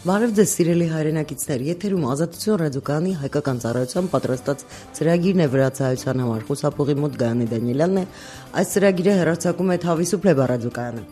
Բարև ձեզ սիրելի հայրենակիցներ, եթերում Ազատություն ռադիոկայանի հայկական ծառայության պատրաստած ծրագիրն է վրացահայության համար, խոսափողի մոտ Գայանե Դանիելյանն է, այս ծրագիրը հեռարձակում է Թավիսուփլե ռադիոկայանը։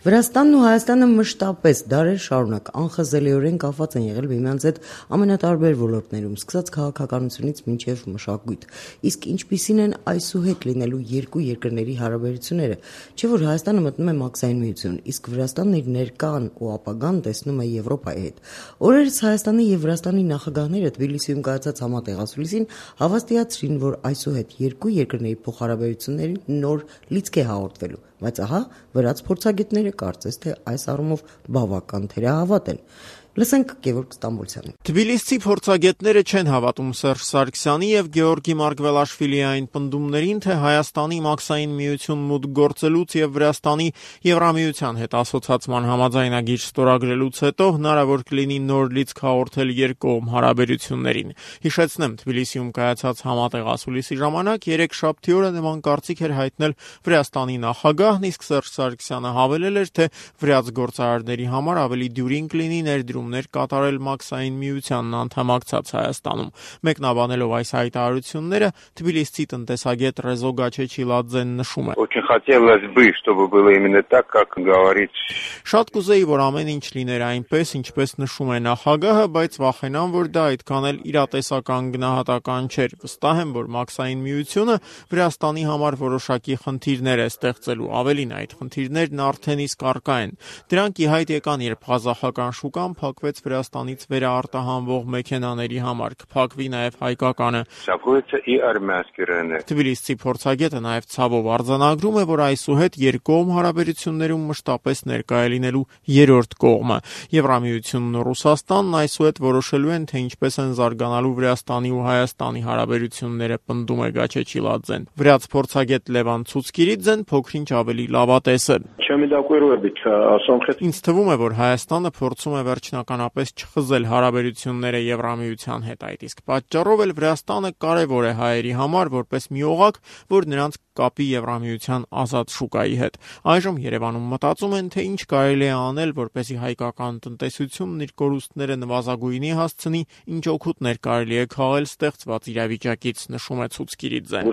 Վրաստանն ու Հայաստանը մշտապես դարեր շարունակ անխզելիորեն կապված են եղել միմյանց հետ ամենատարբեր ոլորտներում, սկսած քաղաքականությունից մինչև մշակույթ։ Իսկ ինչպիսին են այսուհետ լինելու երկու երկրների հարաբերությունները, չէ՞ որ Հայաստանը մտնում է մաքսային միություն, իսկ Վրաստանն իր ներկան ու ապագան տեսնում է Եվրոպայի հետ։ Օրերս Հայաստանի եւ Վրաստանի նախագահները Թբիլիսիում կայացած համատեղացուլիսին հավաստիացրին, որ այսուհետ երկու երկրների փոխհարաբերություններին նոր լիցք է հաղորդվելու, բայց ահա վրաց փորձագետները կարծես թե այս առումով բավական թերահավատ են։ Լսենք Գևորգ Ստամբոլցյանին։ Թբիլիսցի փորձագետները չեն հավատում Սերժ Սարգսյանի եւ Գեորգի Մարգվելաշվիլիի այն պնդումներին, թե Հայաստանի մաքսային միություն մուտք գործելուց եւ Վրաստանի Եվրամիության հետ ասոցիացման համաձայնագիր ստորագրելուց հետո հնարավոր կլինի նոր լիցք հաղորդել երկկողմ հարաբերություններին։ Հիշեցնեմ, Թբիլիսիում կայացած համատեղացուլիսի ժամանակ երեքշաբթի օրը նման կարծիք էր հայտնել Վրաստանի նախագահն, իսկ Սերժ Սարգսյանը հավելել էր, թե վրաց գործարարների համար ավելի դյուրին կլինի ներդրումներ կատարել մաքսային միությանն անդամակցած Հայաստանում։ Մեկնաբանելով այս հայտարարությունները, Թբիլիսցի տնտեսագետ Ռեզո Գաչեչիլաձեն նշում է. Очень хотелось бы, чтобы было именно так, как говорит. Շատ կուզեի, որ ամեն ինչ լիներ այնպես, ինչպես նշում է նախագահը, բայց վախենամ, որ դա այդքան էլ իրատեսական գնահատական չէր։ Վստահ եմ, որ մաքսային միությունը Վրաստանի համար որոշակի խնդիրներ է ստեղծելու, ավելին այդ խնդիրներն արդեն իսկ առկա են։ Դրանք ի հայտ եկան, երբ ղազախական շուկան փակվեց Վրաստանից վերարտահանվող մեքենաների համար, կփակվի նաև հայկականը։ Թբիլիսցի փորձագետը նաև ցավով արձանագրում է, որ այսուհետ երկկողմ հարաբերություններում մշտապես ներկա է լինելու երրորդ կողմը։ Եվրամիությունն ու Ռուսաստանն այսուհետ որոշելու են, թե ինչպես են զարգանալու Վրաստանի ու Հայաստանի հարաբերությունները, պնդում է Գաչեչիլաձեն։ Վրաց փորձագետ Լևան Ցուցկիրիձեն փոքրինչ ավելի լավատես է։ Ինձ թվում է, որ Հայաստանը փորձում է վերջնականապես չխզել հարաբերությունները Եվրամիության հետ, այդ իսկ պատճառով էլ Վրաստանը կարևոր է հայերի համար որպես մի օղակ, որ նրանց կապի Եվրամիության ազատ շուկայի հետ։ Այժմ Երևանում մտածում են, թե ինչ կարելի է անել, որպեսզի հայկական տնտեսությունն իր կորուստները նվազագույնի հասցնի, ինչ օգուտներ կարելի է քաղել ստեղծված իրավիճակից, նշում է Ցուցկիրիձեն։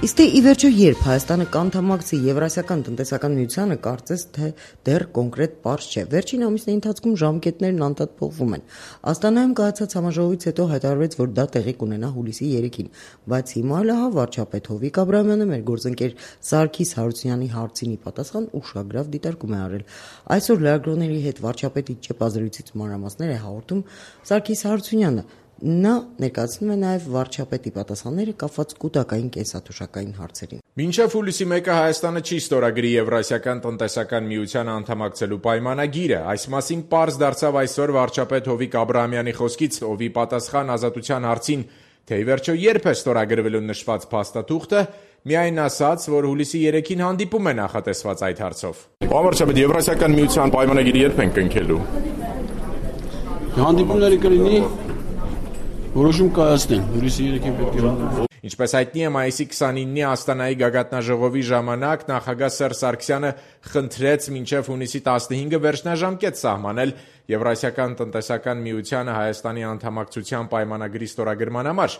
Իսկ թե ի վերջո երբ Հայաստանը կանդամակցի Եվրասիական տնտեսական միությանը, կարծես թե դեռ կոնկրետ պարզ չէ։ Վերջին ամիսների ընթացքում ժամկետներն անդադ փոխվում են։ Աստանայում կայացած համաժողովից հետո հայտարարվեց, որ դա տեղի կունենա հուլիսի 3-ին, բայց հիմա էլ ահա վարչապետ Հովիկ Աբրահամյանը մեր գործընկեր Սարգիս Հարությունյանի հարցին ի պատասխան ուշագրավ դիտարկում է արել։ Այսօր լրագրողների հետ վարչապետի ճեպազրույցից մանրամասներ է հաղորդում Սարգիս Հարությունյանը։ Նա ներկայացնում է նաև վարչապետի պատասխանները կապված կուտակային կենսաթոշակային հարցերին։ Մինչև հուլիսի 1-ը Հայաստանը չի ստորագրի Եվրասիական տնտեսական միությանը անդամակցելու պայմանագիրը։ Այս մասին պարզ դարձավ այսօր վարչապետ Հովիկ Աբրահամյանի խոսքից, ով ի պատասխան Ազատության հարցին, թե ի վերջո երբ է ստորագրվելու նշված փաստաթուղթը, միայն ասաց, որ հուլիսի 3-ին հանդիպում է նախատեսված այդ հարցով։ Վարչապետ, Եվրասիական միության պայմանագիրը երբ են կնքելու։ Հանդիպումները կլինի որոշում կայացնեն, հուլիսի 3-ին պետք է հանդիպում։ Ինչպես հայտնի է, մայիսի 29-ի Աստանայի գագաթնաժողովի ժամանակ նախագահ Սերժ Սարգսյանը խնդրեց մինչև հունիսի 15-ը վերջնաժամկետ սահմանել Եվրասիական տնտեսական միությանը Հայաստանի անդամակցության պայմանագրի ստորագրման համար,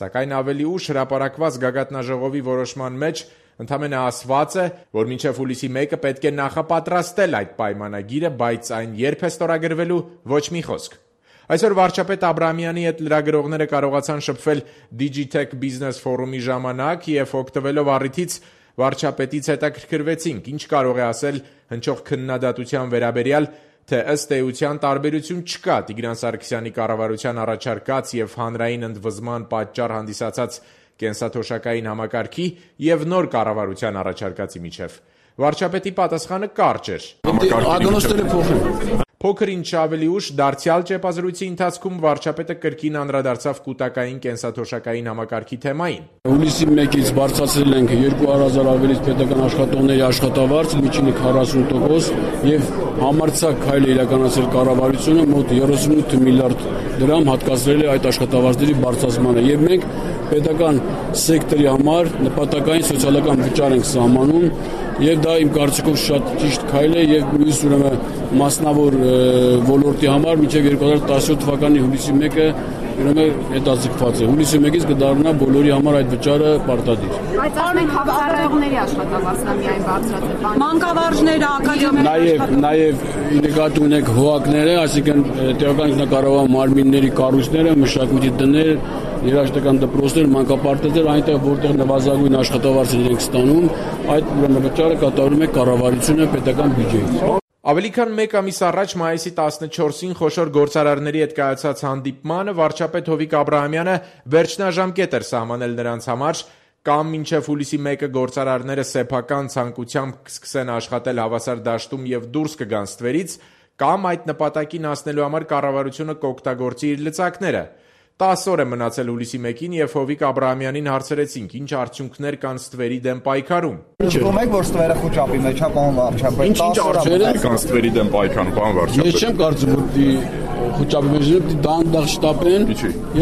սակայն ավելի ուշ հրապարակված գագաթնաժողովի որոշման մեջ ընդամենը ասված է, որ մինչև հուլիսի 1-ը պետք է նախապատրաստել այդ պայմանագիրը, բայց այն երբ է ստորագրվելու, ոչ մի խոսք։ Այսօր վարչապետ Աբրահամյանի հետ լրագրողները կարողացան շփվել Digitech Business Forum-ի ժամանակ եւ օգտվելով առիթից վարչապետից հետաքրքրվեցինք, ինչ կարող է ասել հնչող քննադատության վերաբերյալ, թե ըստ էության տարբերություն չկա Տիգրան Սարգսյանի կառավարության առաջարկած եւ հանրային ընդվզման պատճառ հանդիսացած կենսաթոշակային համակարգի եւ նոր կառավարության առաջարկածի միջև։ Վարչապետի պատասխանը կարճ էր։ Ադոնոստերը փոխեն։ Փոքր ինչ ավելի ուշ դարձյալ ճեպազրույցի ընթացքում վարչապետը կրկին անդրադարձավ կൂട്ടակային կենսաթոշակային համակարգի թեմային։ Հուլիսի 1-ից բարձրացրել ենք 200,000 ավելից պետական աշխատողների աշխատավարձ, միջինը 40% եւ համարձակ քայլ է իրականացրել կառավարությունը մոտ 38 միլիարդ դրամ հատկացրել է այդ աշխատավարձերի բարձրացմանը եւ մենք պետական սեկտորի համար նպատակային սոցիալական վճար ենք սահմանում եւ դա իմ կարծիքով շատ ճիշտ քայլ է եւ մյուս ուրեմն մասնավոր ոլորտի համար մինչեւ 2017 թվականի հուլիսի 1-ը ուրեմն հետաձգված է։ Հուլիսի 1-ից կդառնա բոլորի համար այդ վճարը պարտադիր։ Բայց ասենք հավասարողների աշխատավարձն է միայն բարձրացել։ Մանկավարժները, ակադեմիաները նաեւ նկատի ունենք հողակները, այսինքն տեղական ինքնակառավարման մարմինների կառույցները, մշակույթի տներ, երաժշտական դպրոցներ, մանկապարտեզներ, այնտեղ որտեղ նվազագույն աշխատավարձեր ենք ստանում, այդ ուրեմն վճարը կատարում է կառավարությունը պետական բյուջեից։ Ավելի քան 1 ամիս առաջ մայիսի 14-ին խոշոր գործարարների հետ կայացած հանդիպմանը վարչապետ Հովիկ Աբրահամյանը վերջնաժամկետ էր սահմանել նրանց համար, կամ մինչև հուլիսի 1-ը գործարարները սեփական ցանկությամբ կսկսեն աշխատել հավասար դաշտում եւ դուրս կգան ստվերից, կամ այդ նպատակին հասնելու համար կառավարությունը կօգտագործի իր լծակները։ 10 օր է մնացել հուլիսի 1-ին եւ Հովիկ Աբրահամյանին հարցրեցինք, ինչ արդյունքներ կան ստվերի դեմ պայքարում։ Ճշտում եք, որ ստվերը խոճապի մեջ է, պարոն վարչապետ։ Ինչ արդյունքներ կան ստվերի դեմ պայքարում, պարոն վարչապետ։ Ես չեմ կարծում, որ դի խոճապի մեջ դանդաղ շտապեն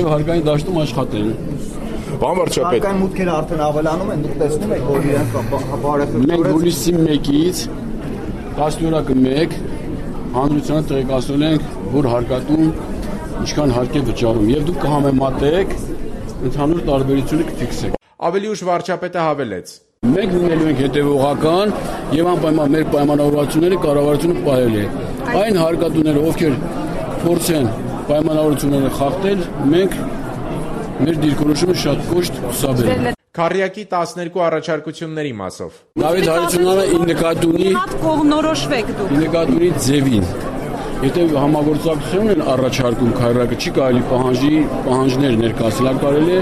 եւ հարկային դաշտում աշխատեն։ Պարոն վարչապետ։ Հարկային մուտքերը արդեն ավելանում են, դուք տեսնում եք, որ իրենք բարեփոխում։ Մենք հուլիսի 1-ից 10-օրակը 1 հանրությանը տեղեկացրել ենք, որ հարկատուն ինչքան հարկ է վճարում եւ դուք կհամեմատեք ընդհանուր տարբերությունը կֆիքսեք։ Ավելի ուշ վարչապետը հավելեց. Մենք լինելու ենք հետևողական եւ անպայման մեր պայմանավորվածությունները կառավարությունը պահել է։ Այն հարկատուները, ովքեր փորձեն պայմանավորությունները խախտել, մենք մեր դիրքորոշումը շատ կոշտ կուսաբերենք։ Քարյակի 12 առաջարկությունների մասով Դավիթ Հարությունյանը ի նկատի ունի կողմնորոշվեք դուք։ Ի նկատի ունի ձևին։ Եթե համագործակցություն են առաջարկում քայլարկը չի կարելի պահանջներ ներկայացնել, կարելի է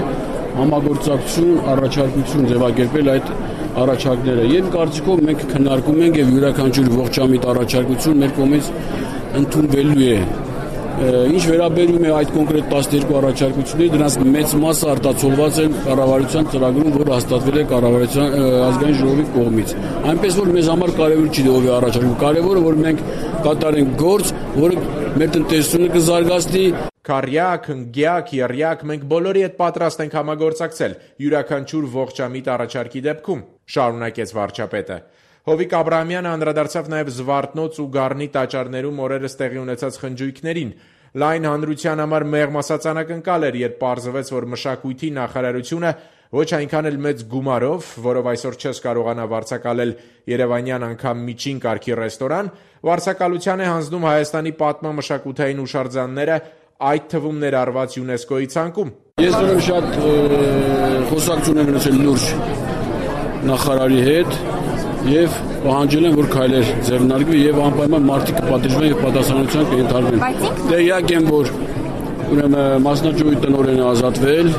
համագործակցություն, առաջարկություն ձևակերպել այդ առաջարկները։ Եվ կարծիքով մենք քննարկում ենք եւ յուրաքանչյուր ողջամիտ առաջարկություն մեր կողմից ընդունվելու է։ Ինչ վերաբերում է այդ կոնկրետ 12 առաջարկությունների, դրանց մեծ մասը արտացոլված են կառավարության ծրագրում, որը հաստատվել է կառավարության ազգային ժողովի կողմից։ Այնպես որ մեզ համար կարևոր չի ով է առաջարկում, կարևորը որ մենք կատարենք գործ, որը մեր տնտեսությունը կզարգացնի։ Քարյակ, հնգյակ, եռյակ, մենք բոլորի հետ պատրաստ ենք համագործակցել յուրաքանչյուր ողջամիտ առաջարկի դեպքում, շարունակեց վարչապետը։ Հովիկ Աբրահամյանը անդրադարձավ նաև Զվարթնոց ու Գառնի տաճարներում օրերս տեղի ունեցած խնջույքներին։ Լայն հանրության համար մեղմ ասած անակնկալ էր, երբ պարզվեց, որ մշակույթի նախարարությունը ոչ այնքան էլ մեծ գումարով, որով այսօր չես կարողանա վարձակալել երևանյան անգամ միջին կարգի ռեստորան, վարձակալության է հանձնում Հայաստանի պատմամշակութային հուշարձանները, այդ թվում ներառված ՅՈՒՆԵՍԿՕ-ի ցանկում։ Ես ուրեմն շատ խոսակցություն եմ ունեցել լուրջ նախարարի հետ եւ պահանջել են, որ քայլեր ձեռնարկվի եւ անպայման մարդիկ կպատժվեն եւ պատասխանատվության կենթարկվեն։ Տեղյակ եմ, որ ուրեմն մասնաճյուղի տնօրենը ազատվել,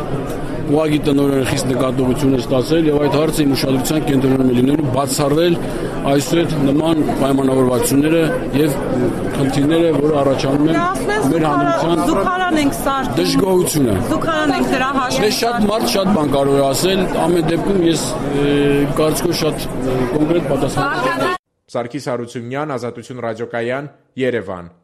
ուղղակի տնօրենը խիստ նկատողություն է ստացել եւ այդ հարցը իմ ուշադրության կենտրոնում է լինելու բացառվել այսօր նման պայմանավորվածությունները եւ խնդիրները, որը առաջանում են մեր հանրության Զուգարան ենք սարք։ դժգոհությունը։ Զուգարան ենք դրա հաշվին։ Դե շատ մարդ շատ բան կարող է ասել, ամեն դեպքում ես կարծիքով շատ կոնկրետ պատասխան։ Սարգիս Հարությունյան, Ազատություն ռադիոկայան, Երևան։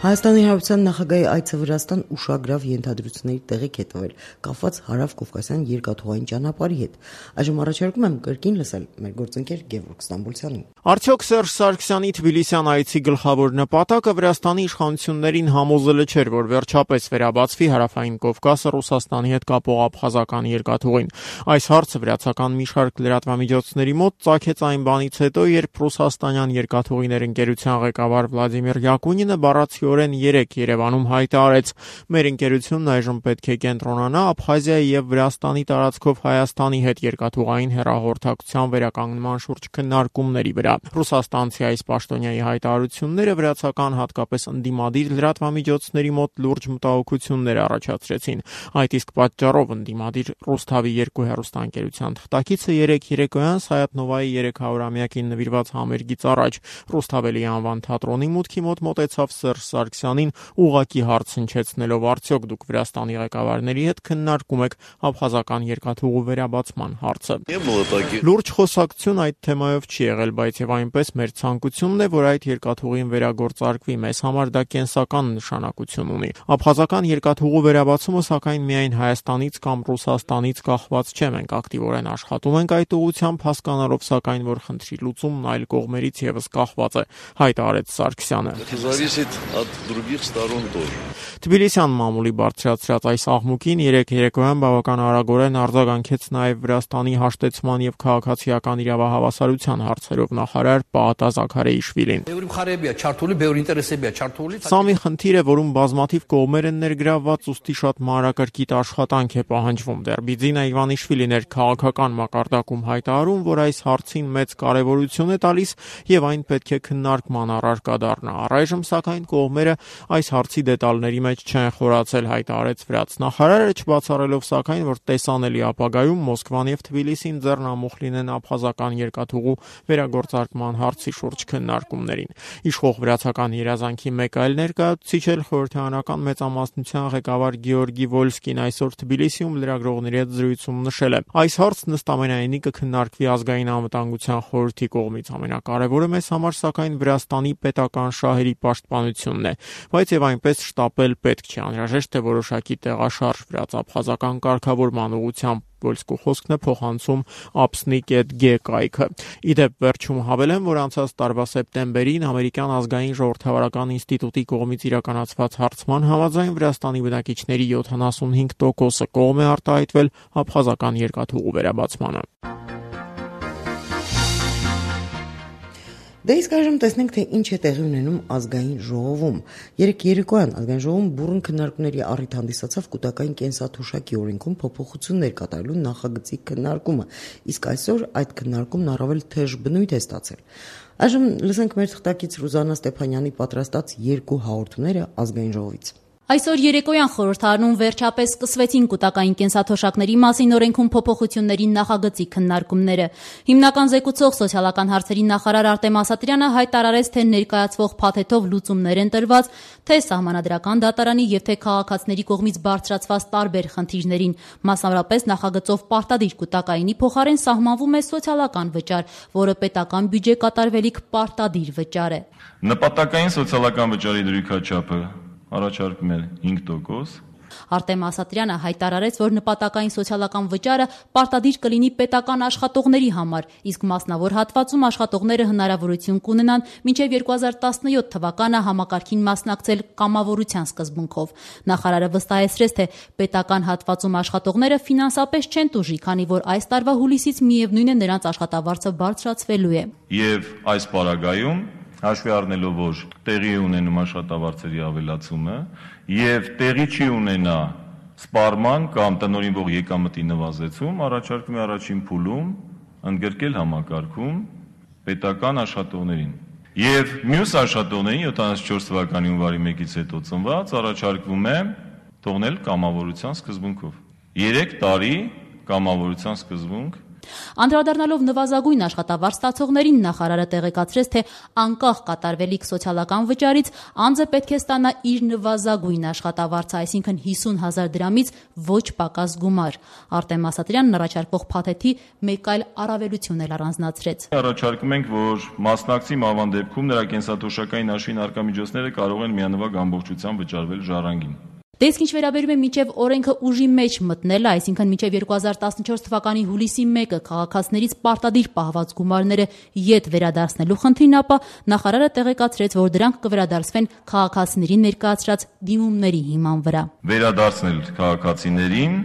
Հայաստանի Հանրապետության նախագահի այցը Վրաստան ուշագրավ ենթադրությունների տեղիք է տվել կապված հարավ-կովկասյան երկաթուղային ճանապարհի հետ։ Այժմ առաջարկում եմ կրկին լսել մեր գործընկեր Գևորգ Ստամբուլցյանին։ Արդյոք Սերժ Սարգսյանի Թբիլիսյան այցի գլխավոր նպատակը Վրաստանի իշխանություններին համոզելը չէր, որ վերջապես վերաբացվի հարավային Կովկասը Ռուսաստանի հետ կապող աբխազական երկաթուղին։ Այս հարցը վրացական մի շարք լրատվամիջոցների մոտ ծագեց այն բանից հետո, երբ ռուսաստանյան երկաթուղիներ ընկերության ղեկավար Վլադիմիր Յակունինը բառացիորեն փաստորեն 3 Երևանում հայտարարեց. Մեր ընկերությունն այժմ պետք է կենտրոնանա Աբխազիայի եւ Վրաստանի տարածքով Հայաստանի հետ երկաթուղային հեռահաղորդակցության վերականգնման շուրջ քննարկումների վրա։ Ռուսաստանցի այս պաշտոնյայի հայտարարությունները վրացական հատկապես ընդդիմադիր լրատվամիջոցների մոտ լուրջ մտահոգություններ առաջացրեցին։ Այդ իսկ պատճառով ընդդիմադիր Ռուսթավի 2 հեռուստաընկերության թղթակիցը 3 երեկոյան Սայաթ Նովայի 300-ամյակին նվիրված համերգից առաջ Ռուսթավելի անվան թատրոնի մուտքի մոտ մոտեցավ Սերժ Սարգսյանին ուղղակի հարց հնչեցնելով արդյոք դուք Վրաստանի ղեկավարների հետ քննարկում եք աբխազական երկաթուղու վերաբացման հարցը։ Լուրջ խոսակցություն այդ թեմայով չի եղել, բայց եւ այնպես մեր ցանկությունն է, որ այդ երկաթուղին վերագործարկվի, մեզ համար դա կենսական նշանակություն ունի։ Աբխազական երկաթուղու վերաբացումը սակայն միայն Հայաստանից կամ Ռուսաստանից կախված չէ, մենք ակտիվորեն աշխատում ենք այդ ուղղությամբ, հասկանալով սակայն, որ խնդրի լուծումն այլ կողմերից եւս կախված է, հայտարարեց Սարգսյանը։ Թբիլիսյան մամուլի բարձրացրած այս աղմուկին 3 երեկոյան բավական արագորեն արձագանքեց նաև Վրաստանի հաշտեցման եւ քաղաքացիական իրավահավասարության հարցերով նախարար Պահատա Զաքարեիշվիլին։ Սա մի խնդիր է, որում բազմաթիվ կողմեր են ներգրավված, ուստի շատ մանրակրկիտ աշխատանք է պահանջվում։ Դեռ Բիձինա Իվանիշվիլին էր քաղաքական մակարդակում հայտարարում, որ այս հարցին մեծ կարևորություն է տալիս եւ այն պետք է քննարկման առարկա դառնա։ Առայժմ սակայն կողմերը այս հարցի դետալների մեջ չեն խորացել, հայտարարեց վրաց նախարարը, չբացառելով սակայն, որ տեսանելի ապագայում Մոսկվան եւ Թբիլիսին ձեռնամուխ լինեն աբխազական երկաթուղու վերագործարկման հարցի շուրջ քննարկումներին։ Իշխող վրացական երազանքի մեկ այլ ներկայացուցիչ էլ խորհրդարանական մեծամասնության ղեկավար Գեորգի Վոլսկին այսօր Թբիլիսիում լրագրողների հետ զրույցում նշել է. այս հարցն ըստ ամենայնի կքննարկվի ազգային անվտանգության խորհրդի կողմից, ամենակարևորը մեզ համար սակայն Վրաստանի պետական շահերի պաշտպանությունն է, բայց եւ այնպես շտապել պետք չէ, անհրաժեշտ է որոշակի տեղաշարժ վրաց-աբխազական կարգավորման ուղղությամբ։ Վոլսկու խոսքն է փոխանցում Apsnik.g կայքը։ Իդեպ վերջում հավելեմ, որ անցած տարվա սեպտեմբերին ամերիկյան ազգային ժողովրդավարական ինստիտուտի կողմից իրականացված հարցման համաձայն Վրաստանի բնակիչների 75%-ը կողմ է արտահայտվել աբխազական երկաթուղու վերաբացմանը։ Դե իսկ այժմ տեսնենք, թե ինչ է տեղի ունենում ազգային ժողովում։ Երեկոյան ազգային ժողովում բուռն քննարկումների առիթ հանդիսացավ կൂട്ടակային կենսաթոշակի օրենքում փոփոխություններ կատարելու նախագծի քննարկումը, իսկ այսօր այդ քննարկումն առավել թեժ բնույթ է ստացել։ Այժմ լսենք մեր թղթակից Ռուզաննա Ստեփանյանի պատրաստած 2 հաղորդումները ազգային ժողովից։ Այսօր երեկոյան խորհրդարանում վերջապես սկսվեցին կൂട്ടակային կենսաթոշակների մասին օրենքում փոփոխությունների նախագծի քննարկումները։ Հիմնական զեկուցող սոցիալական հարցերի նախարար Արտեմ Ասատրյանը հայտարարեց, թե ներկայացվող փաթեթով լուծումներ են տրված թե սահմանադրական դատարանի եւ թե քաղաքացիների կողմից բարձրացված տարբեր խնդիրներին։ Մասնավորապես նախագծով պարտադիր կൂട്ടակայինի փոխարեն սահմանվում է սոցիալական վճար, որը պետական բյուջե կատարվելիք պարտադիր վճար է։ Նպատակային սոցիալական վճարի դրույքաչափը առաջարկում է 5%։ Արտեմ Ասատրյանը հայտարարեց, որ նպատակային սոցիալական վճարը պարտադիր կլինի պետական աշխատողների համար, իսկ մասնավոր հատվածում աշխատողները հնարավորություն կունենան մինչև 2017 թվականը համակարգին մասնակցել կամավորության սկզբունքով։ Նախարարը վստահեցրեց, թե պետական հատվածում աշխատողները ֆինանսապես չեն տուժի, քանի որ այս տարվա հուլիսից միևնույն է նրանց աշխատավարձը բարձրացվելու է։ Եվ այս պարագայում հաշվի առնելով, որ տեղի ունենում աշխատավարձերի ավելացումը եւ տեղի չի ունենա սպառման կամ տնօրինվող եկամտի նվազեցում, առաջարկում է առաջին փուլում ընդգրկել համակարգում պետական աշխատողներին։ Եվ մյուս աշխատողներին 74 թվականի հունվարի 1-ից հետո ծնված առաջարկվում է թողնել կամավորության սկզբունքով։ 3 տարի կամավորության սկզբունք։ Անդրադառնալով նվազագույն աշխատավարձ ստացողներին նախարարը տեղեկացրեց, թե անկախ կատարվելիք սոցիալական վճարից անձը պետք է ստանա իր նվազագույն աշխատավարձը, այսինքն 50,000 դրամից ոչ պակաս գումար։ Արտեմ Ասատրյանն առաջարկվող փաթեթի մեկ այլ առավելություն էլ առանձնացրեց։ Առաջարկում ենք, որ մասնակցի մահվան դեպքում նրա կենսաթոշակային հաշվին առկա միջոցները կարող են միանվագ ամբողջությամբ վճարվել ժառանգին։ Դե իսկ ինչ վերաբերում է մինչև օրենքը ուժի մեջ մտնելը, այսինքն մինչև 2014 թվականի հուլիսի 1-ը քաղաքացիներից պարտադիր պահված գումարները ետ վերադարձնելու խնդրին, ապա նախարարը տեղեկացրեց, որ դրանք կվերադարձվեն քաղաքացիների ներկայացրած դիմումների հիման վրա։ Վերադարձնել քաղաքացիներին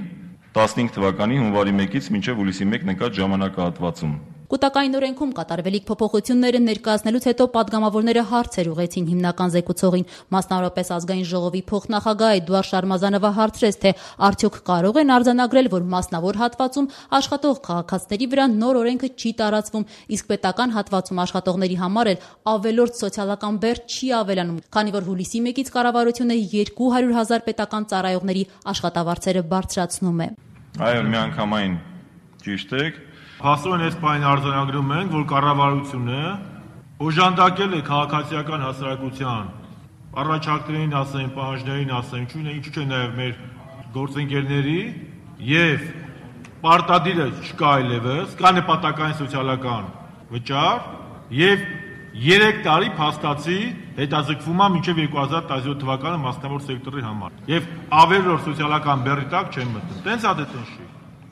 15 թվականի հունվարի 1-ից մինչև հուլիսի 1 նկատ ժամանակահատվածում։ Կուտակային օրենքում կատարվելիք փոփոխությունները ներկայացնելուց հետո պատգամավորները հարցեր ուղղեցին հիմնական զեկուցողին։ Մասնավորապես ազգային ժողովի փոխնախագահ Էդուարդ Շարմազանովը հարցրեց, թե արդյոք կարող են արձանագրել, որ մասնավոր հատվածում աշխատող քաղաքացիների վրա նոր օրենքը չի տարածվում, իսկ պետական հատվածում աշխատողների համար էլ ավելորդ սոցիալական բեռ չի ավելանում, քանի որ հուլիսի 1-ից կառավարությունը 200,000 պետական ծառայողների աշխատավարձերը բարձրացնում է։ Այո, միանգամայն ճիշտ եք։ Փաստորեն այս բանը արձանագրում ենք, որ կառավարությունը օժանդակել է քաղաքացիական հասարակության առաջարկներին ասեն, պահանջներին ասեն, ինչու՞ չէ նաև մեր գործընկերների եւ պարտադիրը չկա այլևս, կա նպատակային սոցիալական վճար եւ 3 տարի փաստացի հետաձգվում է մինչև 2017 թվականը մասնավոր սեկտորի համար եւ ավելորդ սոցիալական բեռի տակ չեն մտնում։ Տենց է դե։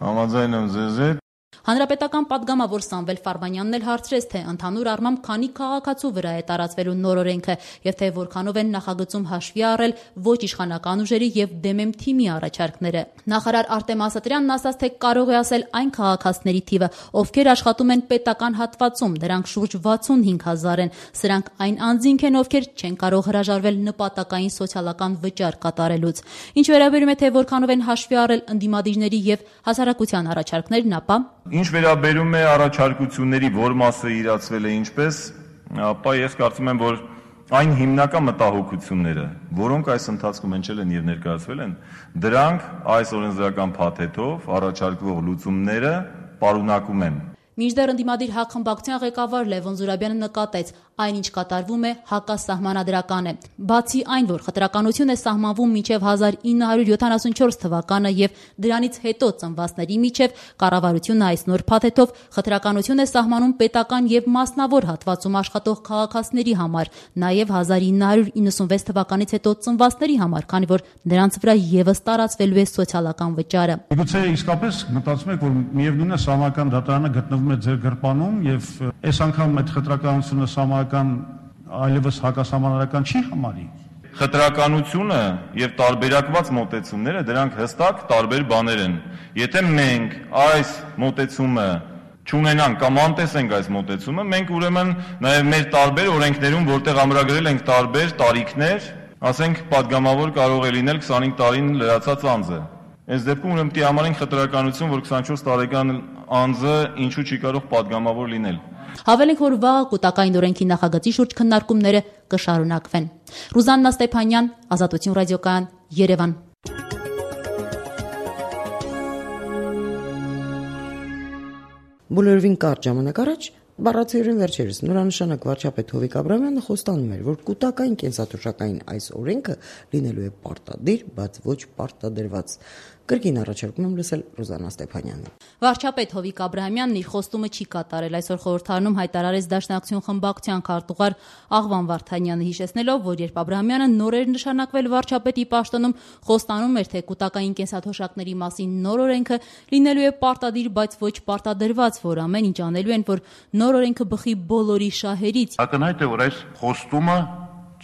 Համաձայն եմ ձեզ հետ։ Հանրապետական պատգամավոր Սամվել Ֆարվանյանն էլ հարցրեց, թե ընդհանուր առմամբ քանի քաղաքացու վրա է տարածվելու նոր օրենքը եւ թե որքանով են նախագծում հաշվի առել ոչ իշխանական ուժերի եւ դեմեմ թիմի առաջարկները։ Նախարար Արտեմ Ասատրյանն ասաց, թե կարող է ասել այն քաղաքացիների թիվը, ովքեր աշխատում են պետական հատվածում, դրանք շուրջ 65,000 են։ Սրանք այն անձինք են, ովքեր չեն կարող հրաժարվել նպատակային սոցիալական վճար կատարելուց։ Ինչ վերաբերում է, թե որքանով են հաշվի առել ընդդիմադիրների եւ հասարակության առաջարկներն, ապա Ինչ վերաբերում է առաջարկությունների, որ մասը իրացվել է ինչպես, ապա ես կարծում եմ, որ այն հիմնական մտահոգությունները, որոնք այս ընթացքում հնչել են եւ ներկայացվել են, դրանք այս օրենսդրական փաթեթով առաջարկվող լուծումները պարունակում են։ Մինչդեռ ընդդիմադիր հակխմբակցության ղեկավար Լևոն Զուրաբյանը նկատեց, այնինչ կատարվում է հակասահմանադրական է։ Բացի այն, որ խտրականություն է սահմանվում մինչև 1974 թվականը եւ դրանից հետո ծնվածների միջև, կառավարությունը այս նոր փաթեթով խտրականություն է սահմանում պետական եւ մասնավոր հատվածում աշխատող քաղաքացիների համար, նաեւ 1996 թվականից հետո ծնվածների համար, քանի որ նրանց վրա եւս տարածվելու է սոցիալական վճարը։ Գուցե իսկապես մտածում եք, որ միևնույն է սահմանական դատարանը գտնվում է ձեր գրպանում եւ այս անգամ այդ խտրականությունը սահմանական այլևս հակասահմանադրական չի համարի։ Խտրականությունը եւ տարբերակված մոտեցումները դրանք հստակ տարբեր բաներ են։ Եթե մենք այս մոտեցումը չունենանք կամ անտեսենք այս մոտեցումը, մենք ուրեմն նաեւ մեր տարբեր օրենքներում, որտեղ ամրագրել ենք տարբեր տարիքներ, ասենք պատգամավոր կարող է լինել 25 տարին լրացած անձը։ Այս դեպքում ուրեմն պիտի համարենք խտրականություն, որ 24 տարեկան անձը ինչու չի կարող պատգամավոր լինել։ Հավելենք, որ վաղ կուտակային օրենքի նախագծի շուրջ քննարկումները կշարունակվեն։ Ռուզաննա Ստեփանյան, Ազատություն ռադիոկայան, Երևան։ Բոլորովին կարճ ժամանակ առաջ բառացիորեն վերջերս նորանշանակ վարչապետ Հովիկ Աբրահամյանը խոստանում էր, որ կուտակային կենսաթոշակային այս օրենքը լինելու է պարտադիր, բայց ոչ պարտադրված։ Կրկին առաջարկում եմ լսել Ռուզաննա Ստեփանյանին։ Վարչապետ Հովիկ Աբրահամյանն իր խոստումը չի կատարել, այսօր խորհրդարանում հայտարարեց Դաշնակցություն խմբակցության քարտուղար Աղվան Վարդանյանը, հիշեցնելով, որ երբ Աբրահամյանը նորեր նշանակվել վարչապետի պաշտոնում, խոստանում էր, թե կուտակային կենսաթոշակների մասին նոր օրենքը լինելու է պարտադիր, բայց ոչ պարտադրված, որ ամեն ինչ անելու են, որ նոր օրենքը բխի բոլորի շահերից։ Ակնհայտ է, որ այս խոստումը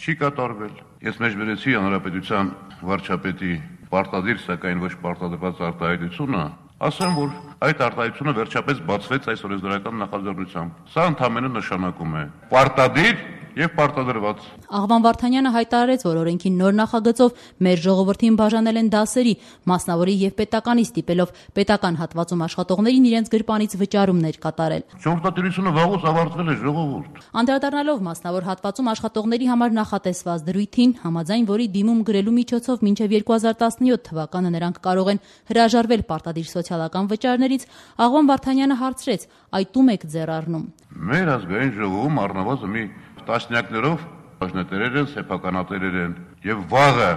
չի կատարվել։ Ես մեջբերեցի հանրապետության վարչապետի պարտադիր, սակայն ոչ պարտադրված արտահայտությունը, ասեմ, որ այդ արտահայտությունը վերջապես բացվեց այս օրենսդրական նախաձեռնությամբ։ Սա ընդհանրապես նշանակում է պարտադիր եւ պարտադրված։ Աղվան Վարդանյանը հայտարարեց, որ օրենքի նոր նախագծով մեր ժողովրդին բաժանել են դասերի, մասնավորի եւ պետականի ստիպելով պետական հատվածում աշխատողներին իրենց գրպանից վճարումներ կատարել։ Ժողովրդատիրությունը վաղուց ավարտվել է, ժողովուրդ։ Անդրադառնալով մասնավոր հատվածում աշխատողների համար նախատեսված դրույթին, համաձայն որի դիմում գրելու միջոցով մինչև 2017 թվականը նրանք կարող են հրաժարվել պարտադիր սոցիալական վճարներից, Աղվան Վարդանյանը հարցրեց. «Այդ ում եք ձեռ առնում»։ Մեր ազգային ժողովում առնվազն մի տասնյակներով բաժնետերեր են, սեփականատերեր են եւ վաղը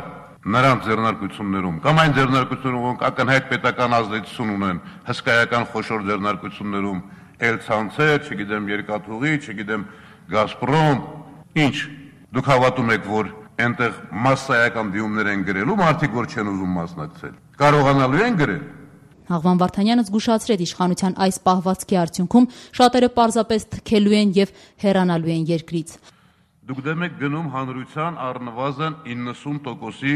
նրանց ձեռնարկություններում կամ այն ձեռնարկություններում, որոնք ակնհայտ պետական ազդեցություն ունեն, հսկայական խոշոր ձեռնարկություններում, Էլ-ցանցեր, չգիտեմ, Երկաթուղի, չգիտեմ, Գազպրոմ, ինչ դուք հավատում եք, որ այնտեղ մասսայական դիմումներ են գրելու, մարդիկ որ չեն ուզում մասնակցել, կարողանալու են գրել։ Աղվան Վարդանյանը զգուշացրեց իշխանության այս պահվածքի արդյունքում շատերը պարզապես թքելու են եւ հեռանալու են երկրից։ Դուք դեմ եք գնում հանրության առնվազն 90%-ի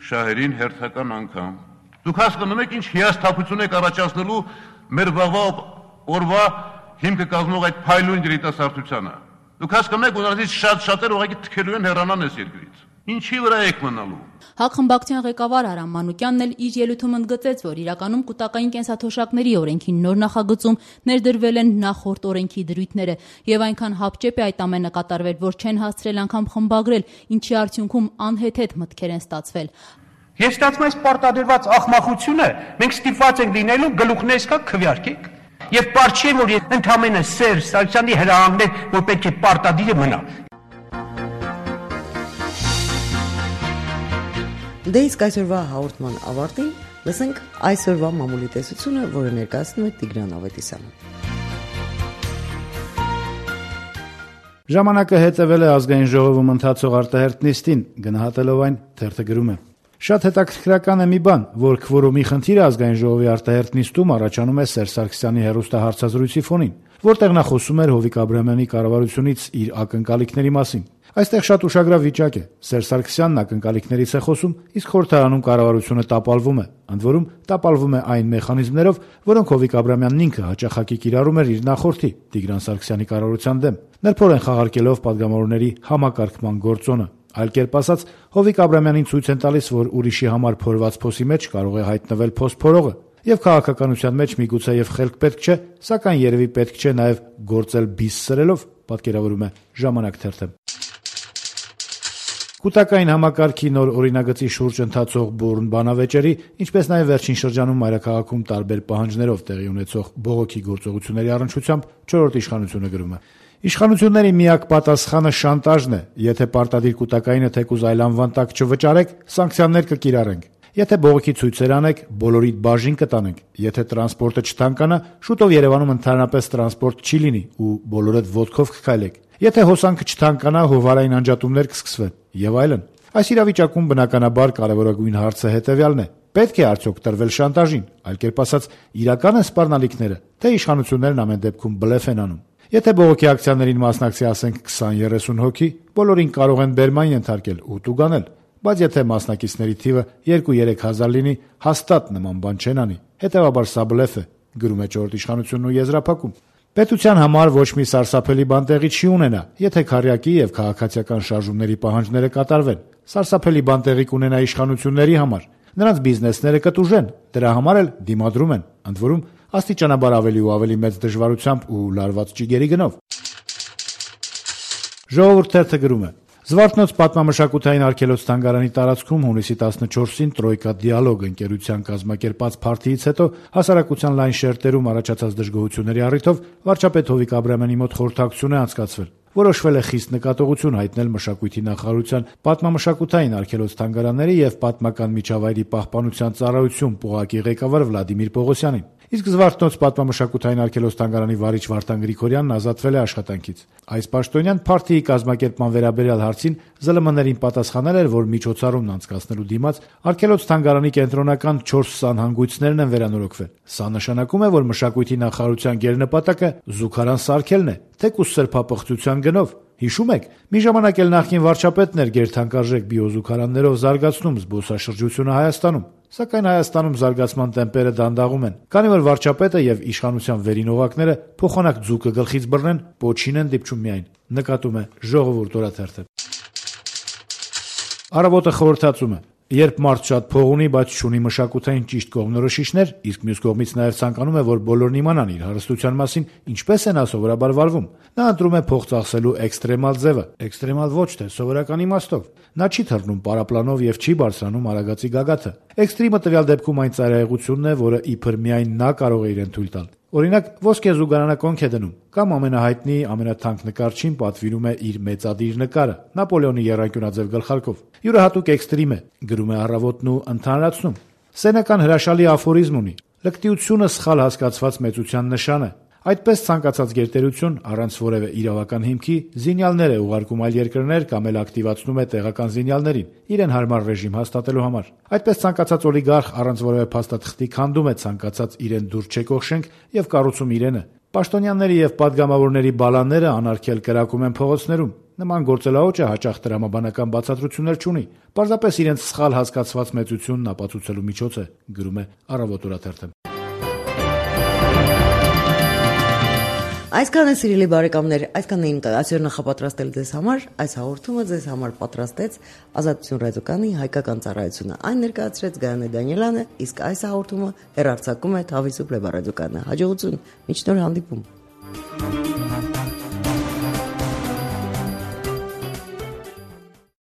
շահերին հերթական անգամ։ Դուք հասկանում եք ինչ հիասթափություն եք առաջացնելու մեր վաղվա օրվա հիմքը կազմող այդ փայլուն երիտասարդությանը։ Դուք հասկանում եք, ուղղակի շատ-շատեր ուղղակի թքելու են հեռանան այս երկրից։ Ինչի վրա եք մնալու։ ՀԱԿ խմբակցության ղեկավար Արամ Մանուկյանն էլ իր ելույթում ընդգծեց, որ իրականում կൂട്ടակային կենսաթոշակների օրենքի նոր նախագծում ներդրվել են նախորդ օրենքի դրույթները եւ այնքան հապճեպ է այդ ամենը կատարվել, որ չեն հասցրել անգամ խմբագրել, ինչի արդյունքում անհեթեթ մտքեր են ստացվել։ Եվ ստացվում է պարտադրված ախմախությունը մենք ստիպված ենք լինելու գլուխներս կա քվյարկեք եւ պարզ չէ որ ընդամենը Սերժ Սարգսյանի հրահանգներ որ պետք է պարտադիրը մնա։ Դե իսկ այսօրվա հաղորդման ավարտին լսենք այսօրվա մամուլի տեսությունը, որը ներկայացնում է Տիգրան Ավետիսյանը։ Ժամանակը հետևել է ազգային ժողովում ընթացող արտահերթ նիստին, գնահատելով այն թերթը գրում է. Շատ հետաքրքրական է մի բան, որ քվորումի խնդիրը ազգային ժողովի արտահերթ նիստում առաջանում է Սերժ Սարգսյանի հեռուստահարցազրույցի ֆոնին, որտեղ նա խոսում էր Հովիկ Աբրահամյանի կառավարությունից իր ակնկալիքների մասին։ Այստեղ շատ ուշագրավ վիճակ է։ Սերժ Սարգսյանն ակնկալիքներից է խոսում, իսկ խորհրդարանում կառավարությունը տապալվում է, ընդ որում տապալվում է այն մեխանիզմներով, որոնք Հովիկ Աբրահամյանն ինքը հաճախակի կիրառում էր իր նախորդի Տիգրան Սարգսյանի կառավարության դեմ, նրբորեն խաղարկելով падգամավորների համակարգման գործոնը։ Այլ կերպ ասած, Հովիկ Աբրահամյանին ցույց են տալիս, որ ուրիշի համար փորված փոսի մեջ կարող է հայտնվել փոսփորողը, եւ քաղաքականության մեջ միգուցե եւ խելք պետք չէ, սակայն երևի պետք չէ նաեւ գործել բիս սրելով, պատկերավորում է Ժամանակ թերթը։ Կൂട്ടակային համակարգի նոր օրինագծի շուրջ ընթացող բուրըն բանավեճերի, ինչպես նաև վերջին շրջանում մայրաքաղաքում տարբեր պահանջներով տեղի ունեցող բողոքի գործողությունների առնչությամբ 4-րդ իշխանությունը գրում է. Իշխանությունների միակ պատասխանը շանտաժն է, եթե պարտադիր կൂട്ടակայինը թեկուզ այլ անվան տակ չվճարեք, սանկցիաներ կկիրառենք։ Եթե բողոքի ցույցեր անեք, բոլորիդ բաժին կտանենք։ Եթե տրանսպորտը չթանկանա, շուտով Երևանում ընդհանրապես տրանսպորտ չի լինի ու բոլորդ ոտքով կքայլեք։ Եթե հոսանքը չթանկանա, հովարային անջատումներ կսկսվեն եւ այլն։ Այս իրավիճակում բնականաբար կարևորագույն հարցը հետեւյալն է. պետք է արդյոք տրվել շանտաժին, այլ կերպ ասած, իրական են սպառնալիքները, թե իշխանություններն ամեն դեպքում բլեֆ են անում։ Եթե բողոքի ակցիաներին մասնակցի ասենք 20-30 հոգի, բոլորին կարող են բերման ենթարկել ու տուգանել, բայց եթե մասնակիցների թիվը 2-3 հազար լինի, հաստատ նման բան չեն անի։ Հետևաբար սա բլեֆ է, գրում է 4-րդ իշխանությունն ու եզրափակում։ Պետության համար ոչ մի սարսափելի բան տեղի չի ունենա, եթե քարյակի եւ քաղաքացիական շարժումների պահանջները կատարվեն։ Սարսափելի բան տեղի կունենա իշխանությունների համար։ Նրանց բիզնեսները կտուժեն, դրա համար էլ դիմադրում են, ընդ որում աստիճանաբար ավելի ու ավելի մեծ դժվարությամբ ու լարված ճիգերի գնով։ Ժողովուրդ թերթը գրում է. Զվարթնոց պատմամշակութային արգելոց թանգարանի տարածքում հունիսի 14-ին Տրոյկա դիալոգ ընկերության կազմակերպած փարթիից հետո հասարակության լայն շերտերում առաջացած դժգոհությունների առիթով վարչապետ Հովիկ Աբրահամյանի մոտ խորհրդակցություն է անցկացվել։ Որոշվել է խիստ նկատողություն հայտնել մշակույթի նախարարության պատմամշակութային արգելոց թանգարանների եւ պատմական միջավայրի պահպանության ծառայություն ՊՕՂԱԿ-ի ղեկավար Վլադիմիր Պողոսյանին։ Իսկ Զվարթնոց պատմամշակութային արգելոց թանգարանի վարիչ Վարդան Գրիգորյանն ազատվել է աշխատանքից։ Այս պաշտոնյան փարթիի կազմակերպման վերաբերյալ հարցին ԶԼՄ-ներին պատասխանել էր, որ միջոցառումն անցկացնելու դիմաց արգելոց թանգարանի կենտրոնական 4 սանհանգույցներն են վերանորոգվել։ Սա նշանակում է, որ մշակույթի նախարարության գերնպատակը զուգարան սարքելն է, թեկուզ սրբապղծության գնով։ Հիշում եք, մի ժամանակ էլ նախկին վարչապետն էր գերթանկարժեք բիոզուգարաններով զարգացնում զբոսաշրջությունը Հայաստանում։ Սակայն Հայաստանում զարգացման տեմպերը դանդաղում են, քանի որ վարչապետը եւ իշխանության վերին օղակները փոխանակ ձուկը գլխից բռնեն, պոչին են դիպչում միայն, նկատում է Ժողովուրդ օրաթերթը։ Առավոտը խորհրդածում է. Երբ մարդ շատ փող ունի, բայց չունի մշակութային ճիշտ կողմնորոշիչներ, իսկ մյուս կողմից նաև ցանկանում է, որ բոլորն իմանան իր հարստության մասին, ինչպես է նա սովորաբար վարվում, նա ընտրում է փող ծախսելու էքստրեմալ ձևը, էքստրեմալ ոչ թե սովորական իմաստով։ Նա չի թռնում պարապլանով եւ չի բարձրանում արագացի գագաթը։ Էքստրիմը տվյալ դեպքում այն ծայրահեղությունն է, որը իբր միայն նա կարող է իրեն թույլ տալ։ Օրինակ, ոսկե զուգարանը կոնք է դնում, կամ ամենահայտնի ամենաթանկ նկարչին պատվիրում է իր մեծադիր նկարը Նապոլեոնի եռանկյունաձև գլխարկով։ Յուրահատուկ էքստրիմ է, գրում է Առավոտն ու ընդհանրացնում։ Սենեկան հրաշալի աֆորիզմ ունի. լկտիությունը սխալ հասկացված մեծության նշան է։ Այդպես ցանկացած գերտերություն առանց որևէ իրավական հիմքի զինյալներ է ուղարկում այլ երկրներ կամ էլ ակտիվացնում է տեղական զինյալներին իրեն հարմար ռեժիմ հաստատելու համար։ Այդպես ցանկացած օլիգարխ առանց որևէ փաստաթղթի քանդում է ցանկացած իրեն դուր չեկող շենք եւ կառուցում իրենը։ Պաշտոնյաների եւ падգամավորների բալանները անարգել կրակում են փողոցներում։ Նման գործելաոճը հաճախ տրամաբանական բացատրություններ չունի։ Պարզապես իրենց սխալ հասկացված մեծությունն ապացուցելու միջոց է, գրում է Առավոտ օրաթերթը։ Այսքան է սիրելի բարեկամներ, այսքան էին այսօր նախապատրաստել ձեզ համար, այս հաղորդումը ձեզ համար պատրաստեց Ազատություն ռադիոկայանի հայկական ծառայությունը։ Այն ներկայացրեց Գայանե Դանիելյանը, իսկ այս հաղորդումը հեռարձակում է Թավի Սուպլեբա ռադիոկայանը։ Հաջողություն, մինչ նոր հանդիպում։